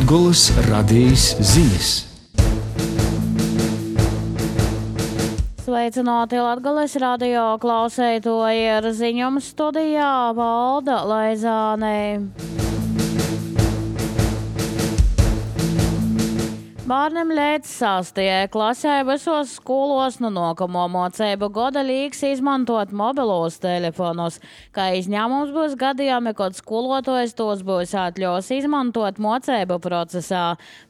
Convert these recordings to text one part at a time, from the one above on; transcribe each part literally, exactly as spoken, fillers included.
Latgoles radījis ziņas. Sveicināti Latgoles radio klausētoji, ar ziņām studijā Valda Laizāne. Bērniem līdz sastajai klasē visos skolos no nākamo mācību gada līgs izmantot mobilos telefonus, kā izņēmums būs gadījumi, kad skolotājs tos būs atļaus izmantot mācību procesā.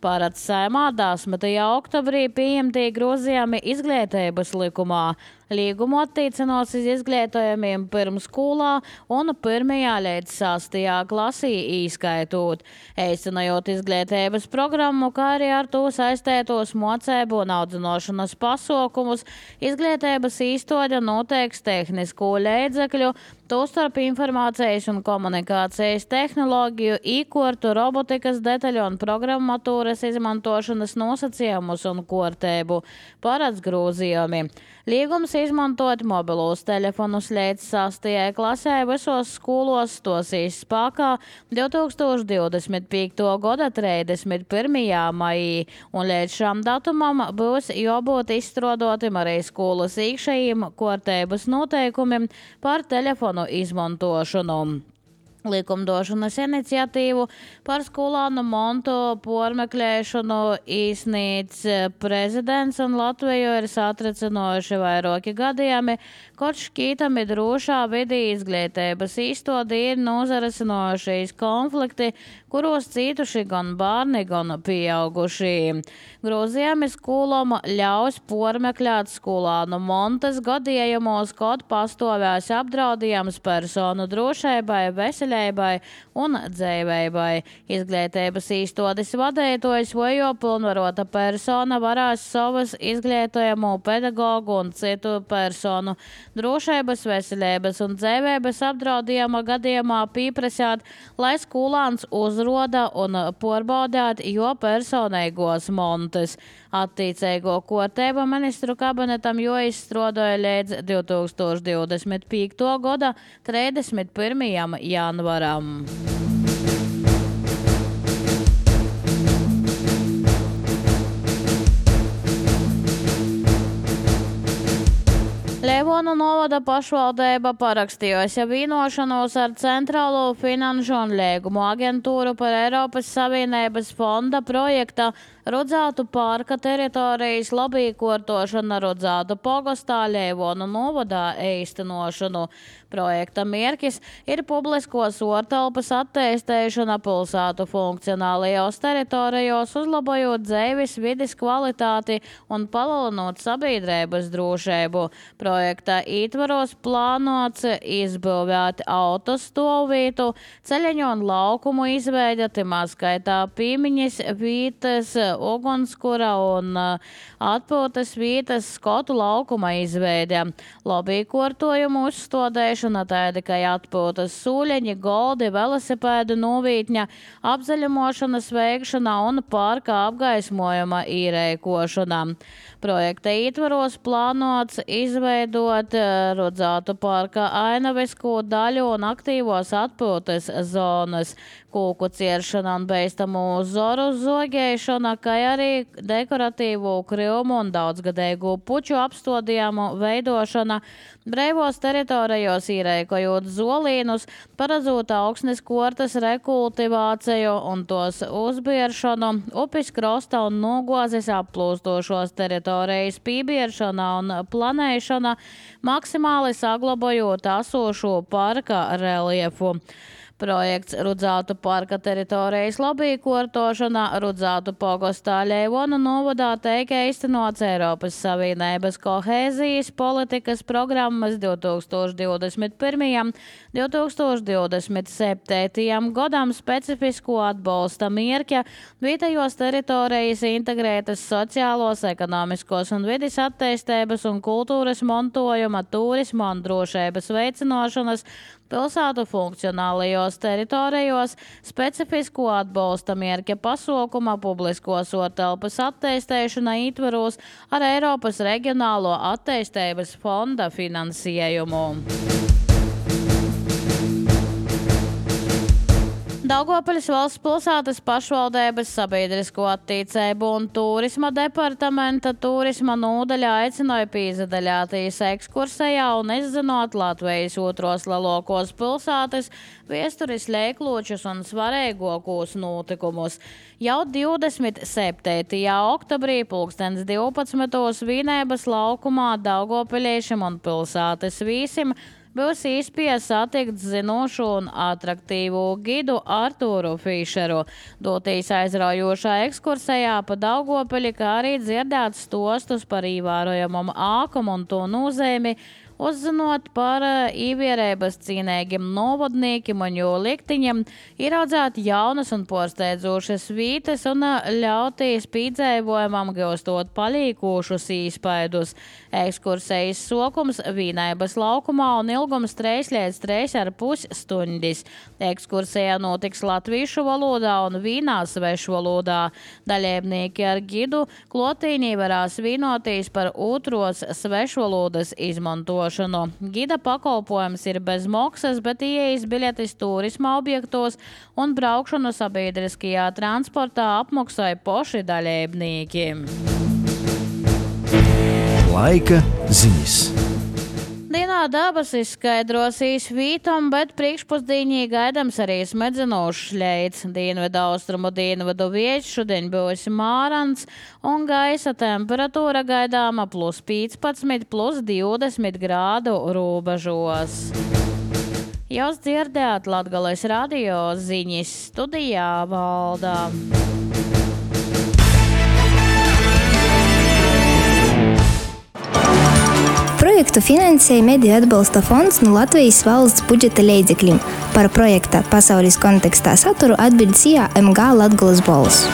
Parāds Saeimā desmitajā oktobrī pieņemtī grozījumi izglītības likumā. Līgumu attiecinos uz izglītojumiem pirmsskolā un pirmajā līdz sastajā klasī īskaitot. Eicinojot izglītības programmu, kā arī ar to saistētos mācību un audzināšanas pasākumus, izglītības iestāde noteiks tehnisko līdzekļu, tostarp informācijas un komunikācijas tehnoloģiju, īkortu, robotikas detaļu un programmatūras izmantošanas nosacījumus un kārtību. Parāds grozījumi. Līgums izmantot mobilos telefonus līdz sastajai klasē visos skolos stosīs spēkā divtūkstoš divdesmit piekto gada trīsdesmit pirmajā maijā, un līdz šam datumam būs jābūt izstrādātam arī skolas iekšējiem kārtības noteikumiem par telefonu izmantošanu. Likumdošanas iniciatīvu par skolānu montu pormeklēšanu īsnīts prezidents un Latviju ir satricinoši vairāki gadījumi, kad šķītami drošā vidī izglītības iestāde ir nozarasinojušies konflikti, kuros cītuši gan bērni, gan pieauguši. Grozījumi skolām ļaus pormeklēt skolānu montas gadījumos, kad pastāvēs apdraudījums personu drošībai, veselībai un dzīvībai. Izglītības iestādes vadītājs vai jo pilnvarota persona varēs savas izglītojumu pedagogu un citu personu drošības, veselības un dzīvības apdraudījuma gadījumā pieprasāt, lai skolāns uzroda un porbaudāt jo personīgos montes. Attiecīgo kārtību ministru kabinetam jo izstrādāja līdz divtūkstoš divdesmit piekto gada trīsdesmit pirmajam janvaram. Leivonu novada pašvaldība parakstījusi vienošanos ar Centrālo finanšu un līgumu aģentūru par Eiropas Savienības fonda projekta Rudzātu parka teritorijas labīkortošana Rudzātu pogastā Leivonu novadā īstenošanu. Projekta mērķis ir publiskos ortelpas attīstīšana pilsētu funkcionālajos teritorijos, uzlabojot dzīves vides kvalitāti un palielinot sabiedrības drošību. Projekta ietvaros plānots izbūvēt autostāvvietu, ceļeņu un laukumu izveide, timā skaitā piemiņas vietas, ugunskura un atpūtas vietas skotu laukuma izveide. Labīkortojumu uzstādēšana tāda, kā atpūtas sūļeņi, goldi, velosipēdu novītņa, apzaļumošanas veikšana un parka apgaismojuma īrēkošana. Projekta ietvaros plānots izveidot Rudzātu parka ainavisku daļu un aktīvos atpūtas zonas, kūku cieršana un beistamu zoru zogēšana, kā arī dekoratīvu krīvumu un daudzgadēgu puču apstādījumu veidošana, breivos teritorijos īrēkojot zolīnus, paredzot augsnes kortas rekultivāciju un tos uzbieršanu, upes krosta un nogozes applūstošos teritorijas pībieršana un planēšana, maksimāli saglabājot esošo parka reliefu. Projekts Rudzātu parka teritorijas labīkortošana Rudzātu pogastā Leivonu novadā teika īstenots Eiropas Savienības kohēzijas politikas programmas divtūkstoš divdesmit pirmajam līdz divtūkstoš divdesmit septītajam gadam specifisko atbalsta mērķa vietējos teritorijas integrētas sociālos, ekonomiskos un vides attīstības un kultūras montojuma, turisma un drošības veicināšanas pilsētu funkcionālajos teritorijos, specifisko atbalsta mērķa pasaukuma publiskos ortelpas attīstīšana ietvaros ar Eiropas reģionālo attīstības fonda finansējumu. Daugavpils valsts pilsētas pašvaldības sabiedrisko attīstību un turisma departamenta turisma nodaļa aicināja piedalīties ekskursijā un izzinot Latvijas otros lielākos pilsētas vēstures leikločus un svarīgākos notikumus. Jau divdesmit septītajā oktobrī pulkstens divpadsmitos Vīnēbas laukumā daugavpiliešiem un pilsētas vīsim būs iespēja satikt zinošu un atraktīvu gidu Artūru Fišeru, doties aizraujošā ekskursijā pa Daugavpili, kā arī dzirdēt stostus par ievērojamam ākumu un to nozīmi, uzzinot par īvierības cīnīgiem novadniekiem un jo liktiņiem, ieraudzēt jaunas un porsteidzošas vītes un ļauties pīdzējumam gūstot palīkošus īspaidus. Ekskursijas sokums Vīnēbas laukumā un ilgums trīs līdz trīs ar pus stundis. Ekskursijā notiks latviešu valodā un vīnā svešu valodā. Dalībnieki ar gidu klotīnī varās vīnoties par otros svešvalodas izmantošanu. Gida pakalpojums ir bez maksas, bet ieejas biļetes turisma objektos un braukšanu sabiedriskajā transportā apmaksāja paši dalībnieki. Laika ziņas. Dienā dabas izskaidrosīs vītam, bet priekšpusdienī gaidams arī smedzinošs ļeids. Dienvidu austrumu dienvidu vietas šodien būs mārants un gaisa temperatūra gaidāma plus piecpadsmit, plus divdesmit grādu robežos. Jūs dzirdējāt Latgales radio ziņas, studijā Valdā. Projektu finansēja Mediju atbalsta fonds no Latvijas valsts budžeta līdzekļiem. Par projekta pasaules kontekstā saturu atbild S I A M G Latgales balss.